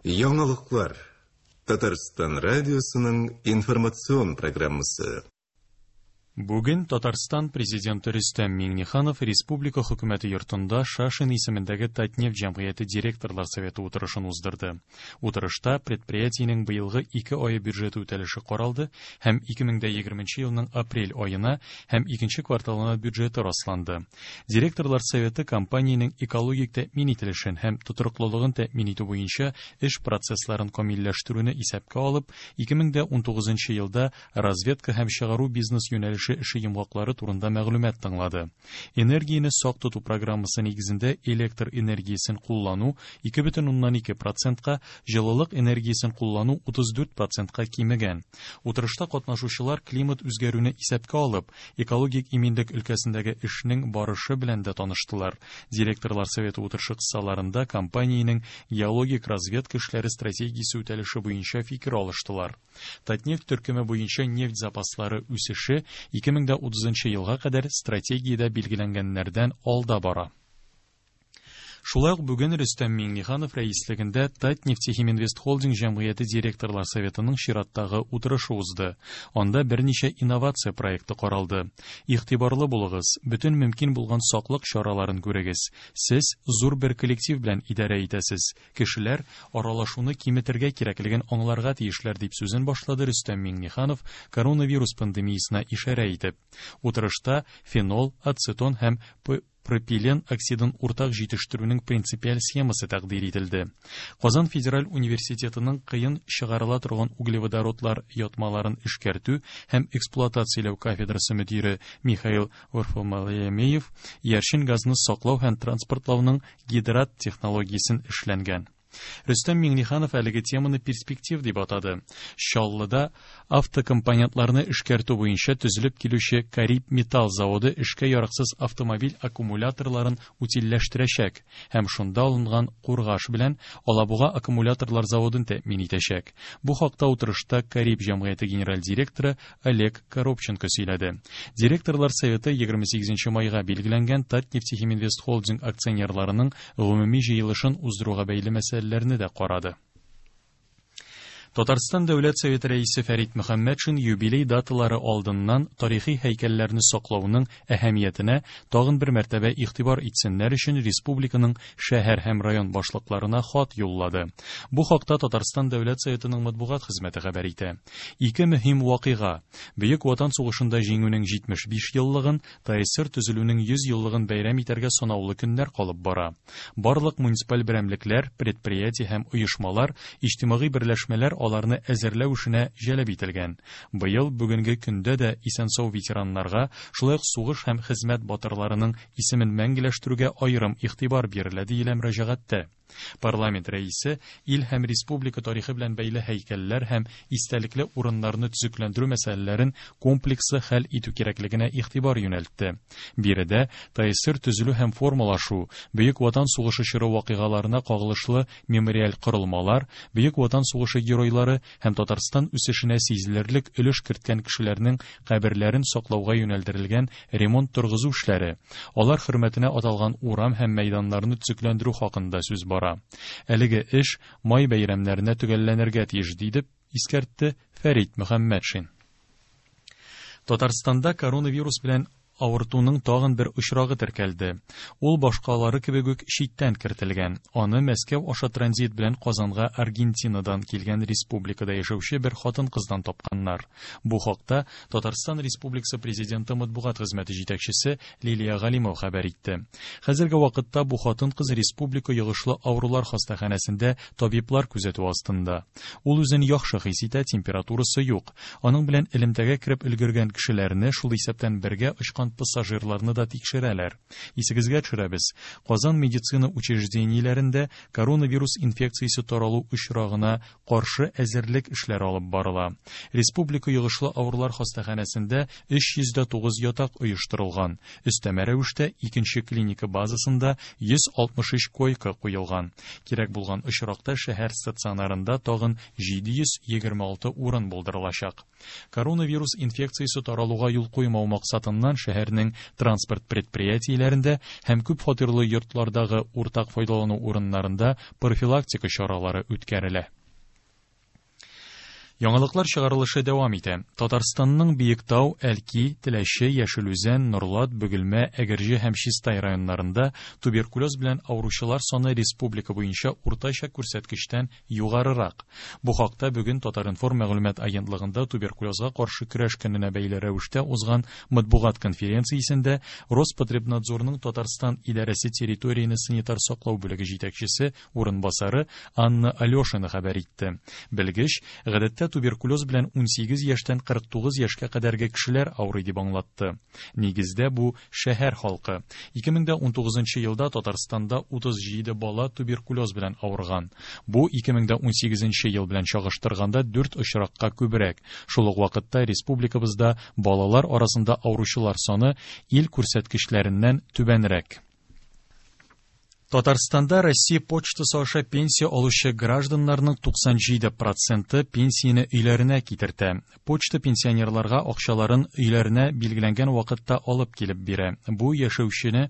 Яңалыклар. Татарстан радиосының информацион программасы. Бүген Татарстан Президенты Рөстәм Миңнеханов Республика Хөкүмәте йортында Шашин исемендәге Татнефть җәмгыяте директорлар советы утырышын уздырды. Утырышта предприятиенең быелгы ике ае бюджеты үтәлеше каралды һәм 2020 елның апрель аена һәм икенче кварталына бюджеты расланды. Директорлар советы компаниянең экологик тәэмин ителешен һәм тотрыклылыгын тәэмин итү буенча эш процессларын камилләштерүне исәпкә алып, 2019 елда разведка һәм чыгару бизнес юнәлеше эше йомгаклары турында мәгълүмат тыңлады. Энергияне сак тоту программасы нигезендә электр энергиясен куллану 2,2 процентка, җылылык энергиясен куллану 34 процентка кимегән. Утырышта катнашучылар климат үзгәрүне исәпкә алып, экологик иминлек өлкәсендәге эшнең барышы белән дә таныштылар. Директорлар советы утырышы кысаларында компаниянең геологик разведка эшләре стратегиясе үтәлеше буенча фикер алыштылар. Татнефть төркеме буенча нефть запаслары үсеше 2030 елга кадәр стратегиядә билгеләнгәннәрдән алда бара. Шулай ук бүген Рөстәм Миңнеханов рәислегендә Татнефтехиминвестхолдинг җәмгыяте директорлар советының чираттагы утырышы узды. Анда берничә инновация проекты каралды. Игътибарлы булыгыз, бөтен мөмкин булган саклык чараларын күрегез. Сез зур бер коллектив белән идарә итәсез. Кешеләр аралашуны киметергә кирәклеген аңларга тиешләр, дип сүзен башлады Рөстәм Миңнеханов коронавирус пандемиясенә ишарә итеп. Утырышта фенол, ацетон һәм пропилен оксидын уртак җитештерүнең принципиаль схемасы тәкъдир ителде. Казан федераль университетының кыен чыгарыла торган углеводородлар ятмаларын эшкәртү һәм эксплуатацияләү кафедрасы мөдире Михаил Варфоломеев иярчен газны саклау һәм транспортлауның гидрат технологиясен эшләнгән. Рөстәм Миңнеханов әлеге теманы перспектив дип атады. Чаллыда автокомпонентларны эшкәртү буенча төзелеп килүче Кариб металл заводы эшкә яраксыз автомобиль аккумуляторларын утильләштерәчәк һәм шунда алынган кургаш белән Алабуга аккумуляторлар заводын тәэмин итәчәк. Бу хакта утырышта Кариб җәмгыяте генераль директоры Олег Коробченко сөйләде. Директорлар советы 28 майга билгеләнгән Татнефтехиминвестхолдинг акционерларының гомуми җыелышын уздыруга бәйле мәсьәләләрне дә карады. Татарстан Дәүләт Советы рәисе Фәрит Мөхәммәтшин юбилей даталары алдыннан тарихи һәйкәлләрне саклауның әһәмиятенә тагын бер мәртәбә игътибар итсеннәр өчен республиканың шәһәр һәм район башлыкларына хат юллады. Бу хакта Татарстан Дәүләт Советының матбугат хезмәте хәбәр итә. Ике мөһим вакыйга: Бөек Ватан сугышында җиңүнең 75 еллыгын, ТАССР төзелүнең 100 еллыгын бәйрәм итәргә санаулы көннәр калып бара. Барлык муниципаль берәмлекләр, предприятие һәм оешмалар, иҗтимагый берләшмәләр аларны әзерләү эшенә җәлеп ителгән. Быел бүгенге көндә дә исән-сау ветераннарга, шулай ук сугыш һәм хезмәт батырларының исемен мәңгеләштерүгә аерым игътибар бирелә, диелә мөрәҗәгатьтә. Парламент рәисе ил һәм республика тарихы белән бәйле һәйкәлләр һәм истәлекле урыннарны төзекләндерү мәсьәләләрен комплекслы хәл итү кирәклегенә игътибар юнәлтте. Биредә ТАССР төзелү һәм формалашу, Бөек Ватан сугышы чоры вакыйгаларына кагылышлы мемориаль корылмалар, Бөек Ватан сугышы геройлары һәм Татарстан үсешенә сизелерлек өлеш керткән кешеләрнең каберләрен саклауга юнәлдерелгән ремонт-торгызу эшләре, алар хөрмәтенә аталган урам һәм мәйданнарны төзекләндерү хакында сүз бара. Әлеге эш май бәйрәмнәренә төгәлләнергә тиеш, диде искәртте Фәрит Мөхәммәтшин. Татарстанда коронавирус белән авыртуның тагын бер очрагы теркәлде. Ул башкалары кебек үк читтән кертелгән. Аны Мәскәү аша транзит белән Казанга Аргентинадан килгән республикада яшәүче бер хатын-кыздан тапканнар. Бу хакта Татарстан Республикасы Президенты матбугат хезмәте җитәкчесе Лилия Галимова хәбәр итте. Хәзерге вакытта бу хатын-кыз республика йогышлы авырулар хастаханәсендә табиблар күзәтү астында. Ул үзен яхшы хис итә, температурасы юк. Аның белән элемтәгә кереп өлгергән кешеләрне, шул исәптән бергә очкан пассажирларны да тикшерәләр. Исегезгә төшерәбез, Казан медицина учреждениеләрендә коронавирус инфекциясе таралу очрагына каршы әзерлек эшләре алып барыла. Республика йогышлы авырулар хастаханәсендә 309 ятак оештырылган. Өстәмә рәвештә икенче клиника базасында 163 койка куелган. Кирәк булган очракта шәһәр стационарында тагын 726 урын булдырылачак. Коронавирус инфекциясе таралуга юл куймау максатыннан шәһәр шәһәрнең транспорт предприятиеләрендә һәм күп фатирлы йортлардагы уртак файдалану урыннарында профилактика чаралары үткәрелә. Яңалыклар чыгарылышы дәвам итә. Татарстанның Биектау, Әлки, Теләче, Яшел Үзән, Норлат, Бөгелмә, Әгерҗе һәм Чистай районнарында туберкулез белән авыручылар саны республика буенча уртача күрсәткечтән югарырак. Бу хакта бүген Татар-информ мәгълүмат агентлыгында туберкулезга каршы көрәш көненә бәйле рәвештә узган матбугат конференциясендә Роспотребнадзорның Татарстан идарәсе территорияне санитар саклау бүлеге җитәкчесе урынбасары Анна Алешина хәбәр итте. Белгеч, гадәттә туберкулез белән 18 яшьтән 49 яшькә кадәрге кешеләр авырый дип аңлатты. Нигездә бу шәһәр халкы. 2019 елда Татарстанда 37 бала туберкулез белән авырган. Бу 2018 ел белән чагыштырганда 4 очракка күбрәк. Шул ук вакытта республикабызда балалар арасында авыручылар саны ил күрсәткечләреннән түбәнрәк. Татарстанда Россия почтасы аша пенсия алучы гражданнарның 97 проценты пенсияне өйләренә китертә. Почта пенсионерларга акчаларын өйләренә билгеләнгән вакытта алып килеп бирә. Бу яшәүчене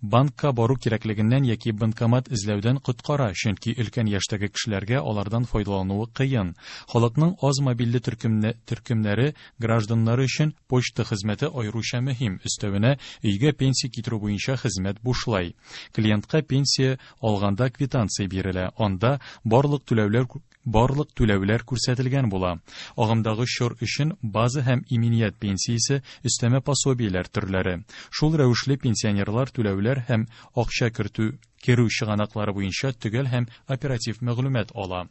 банкка бару кирәклегеннән яки банкомат эзләүдән коткара, чөнки өлкән яшьтәге кешеләргә алардан файдалануы кыен. Халыкның аз мобильле төркемнәре гражданнары өчен почта хезмәте аеруча мөһим. Өстәвенә, өйгә пенсия китерү буенча хезмәт бушлай. Клиентка пенсия алганда квитанция бирелә. Анда барлык түләүләр барлык түләүләр күрсәтелгән була. Агымдагы чор өчен база һәм иминият пенсиясе, өстәмә пособиеләр төрләре. Шул рәвешле пенсионерлар түләүләр һәм акча кертү керү чыганаклары буенча төгәл һәм оператив мәгълүмат ала.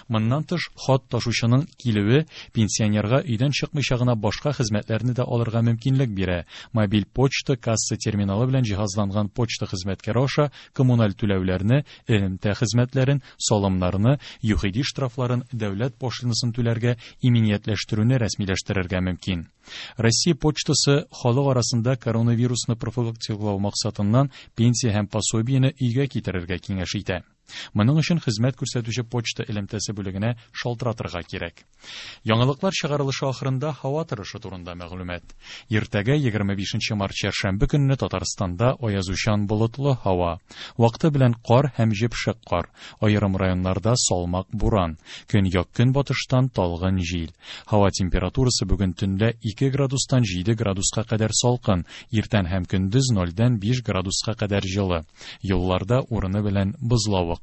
Моннан тыш, хат ташучының килүе пенсионерга өйдән чыкмыйча гына башка хезмәтләрне дә алырга мөмкинлек бирә. Мобиль почта касса терминалы белән җиһазланган почта хезмәткәре аша коммуналь түләүләрне, элемтә хезмәтләрен, салымнарны, ЮХИДИ штрафларын, дәүләт пошлинасын түләргә, иминиятләштерүне рәсмиләштерергә мөмкин. Россия почтасы халык арасында коронавирусны профилактикалау максатыннан пенсия һәм пособиене өйгә китерергә киңәш итә. Моның өчен хезмәт күрсәтүче почта элемтәсе бүлегенә шалтыратырга кирәк. Яңалыклар чыгарылышы ахырында һава торышы турында мәгълүмат. Иртәгә 25 март чәршәмбе көнне Татарстанда аязучан болытлы һава. Вакыты белән кар һәм җепшек кар. Аерым районнарда салмак буран. Көньяк көнбатыштан талгын җил. Һава температурасы бүген төнлә 2 градустан 7 градуска кадәр салкын, иртән һәм көндез 0-дән 5 градуска кадәр җылы. Юлларда урыны белән бозлавык.